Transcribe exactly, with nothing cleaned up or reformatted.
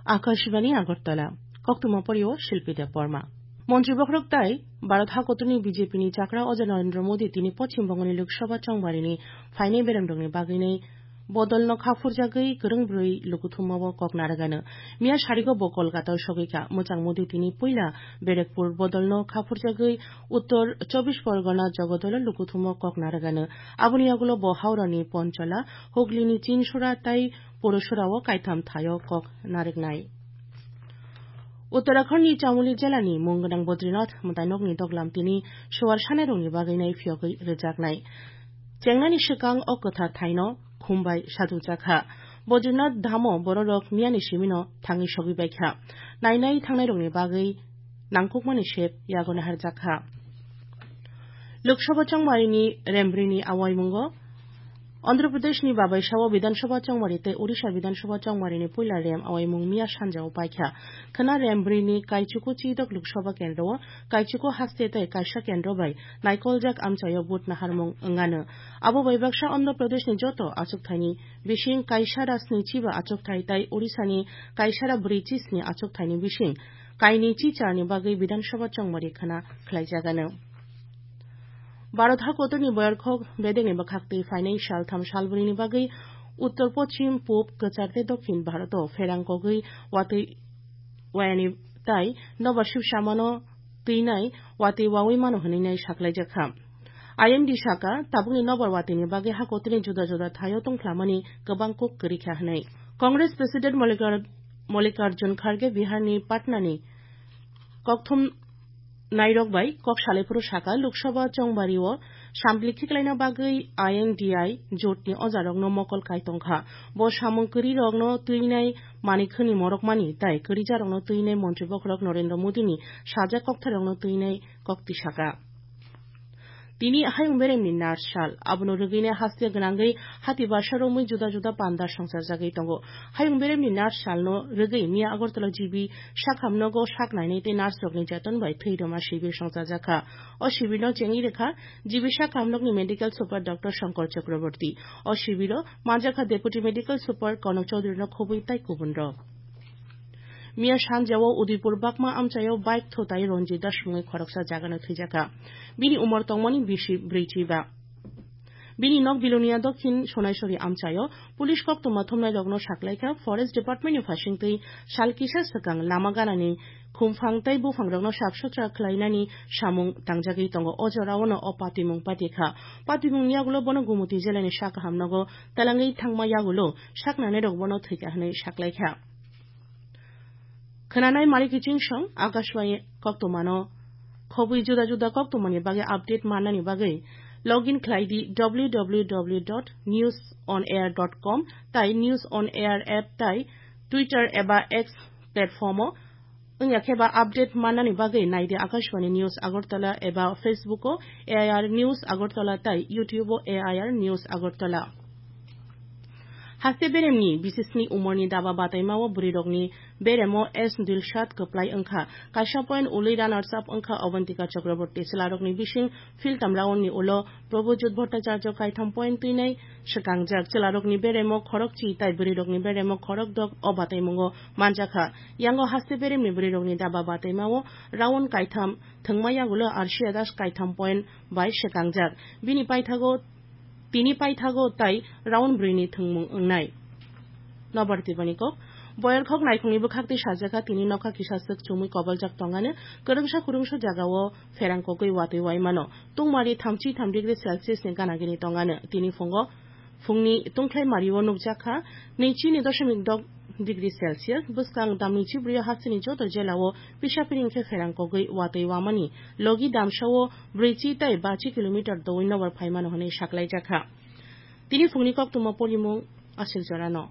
Akashbani Agartala, koktwma porio Shilpi Debbarma. Montri bokhorok tai Bharat hakotorni B J P ni chakra Oja Narendra Modi tini Poschim Bongoni Lok Sabha chongbarini phainai beremrokni bagwinai bodolno khaphurjagwi kwrwng bwrwi lukuthumao kok narwgano. Miya sarigo bo Kolkata-o sogwikha. Mwchang Modi tini puila Barakpur bodolno khaphurjagwi Uttor Chobbish Porgona Jogodolo lukuthumo kok narwgano. Aboni yagulo bo Howrani Ponchola, Huglini Chinsura tai Purusura-o kaitham thaio kok narwknai. Uttarakhand-ni Chamoli jelani mung gwnang Badrinath mwtainokni doglam tini suar sanairokni bagwi nai phiyogwi rwjaknai. Chengnani swkang o kwthar thaino khum bai sajwkjakha. Badrinath dhamo bororok miyani simino thangwi sogwi baikha. Nainai thangnairokni bagwi nangkukmani sep yago naharjakha. Lok Sabha chongmarini rembrini awaimungo Andhra Pradeshni Babaisao Bidhan Sabha chongmari tei Odisha Bidhan Sabha chongmarini puila rem awaimung miya sanjao paikha. Khwna rembrini Kaichuku chidok Lok Sabha kendro-o Kaichuku haste tei kaisa kendro bai naikoljak amchaio vote naharmung wngano. Abo bai baksa Andhra Pradeshni joto achukthani bising kaisara snichi ba achukthai tai Odishani kaisara brichisni achukthani bising kaini chicharni bagwi Bidhan Sabha chongmari khwna khlaijagano. Bharat hakotorni boyarkhok bedekni bwkhaktwi phainai saltham salbrini bagwi Uttor Poschim, Pub, Kwchar tei Dokhin Bharoto pherang kogwi watwi wayani tai nobar sibsamano twinai watwi wawi mano hwnwi nai saklaijakha. I M D saka, tabukni nobar watwini bagwi hakotorni juda juda thaio tongphlamani kwbang kuk kwrwikha hwnwi. Congress President Mallikar-, Mallikarjun Kharge Biharni Patnani kokthum nairok bai kok salaiphuru saka, Lok Sabha chongbario sampli khiklaina bagwi I N D I jotni ojarokno mokol kai tongkha. Bo samung kwrwirokno twinai manikhwni morokmani tai kwrwijarokno twinai montri bokhorok Narendra Modini sajak koktharokno twinai kok tisaka. Tini hayung beremni nurse sal, abono rwgwinai haste gwnangwi hati basa romwi juda juda panda songchajagwi tongo. Hayung beremni nurse salno rwgwi miya Agartala G B sakhamnogo sak nainai tei nurse rokni jeton bai thwi rwma sibir songchajakha. O sibirno chengwi rwkha G B sakhamnokni medical super Doctor Shankar Chakraborty. O sibiro manjakha Deputy Medical Super Konok Chaudhuryno khobwi tai kubunrok. Miya sanjao Udaipur Bakma amchaio bike thutai Ranjit Das mungwi khoroksa jagano thwijakha. Bini umor tongmani bisi brwichi ba. Bini nok Bilonia Dokhin Sonaisori amchaio police koktwma thumnairokno saklaikha, Forest Department ni phasingtwi sal kisa swkang lama ganani khumphang tei buphangrokno sap sutra khlainani samung tangjagwi tongo. O jorao no o patimung patikha. Patimungni yagulo bono Gumoti jelani sak kahamnogo talangwi thangma yagulo saknanairok bono thwikha hwnwi saklaikha. Khwnanai mari kiching song Akashvani koktwmano khobwi juda juda koktwmani bagwi update mannani bagwi login khlai di W W W dot news on air dot com tai News on Air app tai Twitter eba X platform-o. Wngya khe ba update mannani bagwi nai di Akashvani News Agartala eba Facebook-o A I R News Agartala tai YouTube-o A I R News Agartala. Haste beremni bisisni umorni daba bataimao bwrwirokni beremo S Dilshad kwplai wngkha. Kaisa point ului runners up wngkha Avantika Chakraborty. Chwlarokni bising philtam roundni ulo Prabhujyot Bhattacharya kaitham point twinai swkangjak. Chwlarokni beremo khorokchi tai bwrwirokni beremo khorokdok o bataimungo manjakha. Yango haste beremni bwrwirokni daba bataimao round kaitham thwngma yagulo Arshia Das kaitham point bai swkangjak. Bini paithago Tini paithago tai round bwrwini thwngmung wngnai. Nobar tibani kok, boyar khok naikhungni bwkhak twi sajakha, tini nokha kisa swk chumui koboljak tongano, kwrwngsa kwrwngsa jagao pherang kogwi watwi waimano. Tungmari thamchi tham degree Celsius ni gana gini tongano. Tini phungo, phungni tungkhlai mario nukjakha, nwichi ni doshomik dok degree Celsius, bwskang damni chibrwi hasteni joto jelao pisa piring khe pherang kogwi watwi wamani logi damsao brwichi tai bachi kilometer doui nobar phaimano hwnwi saklaijakha. Tini phungni koktwma porimung aswk jorano.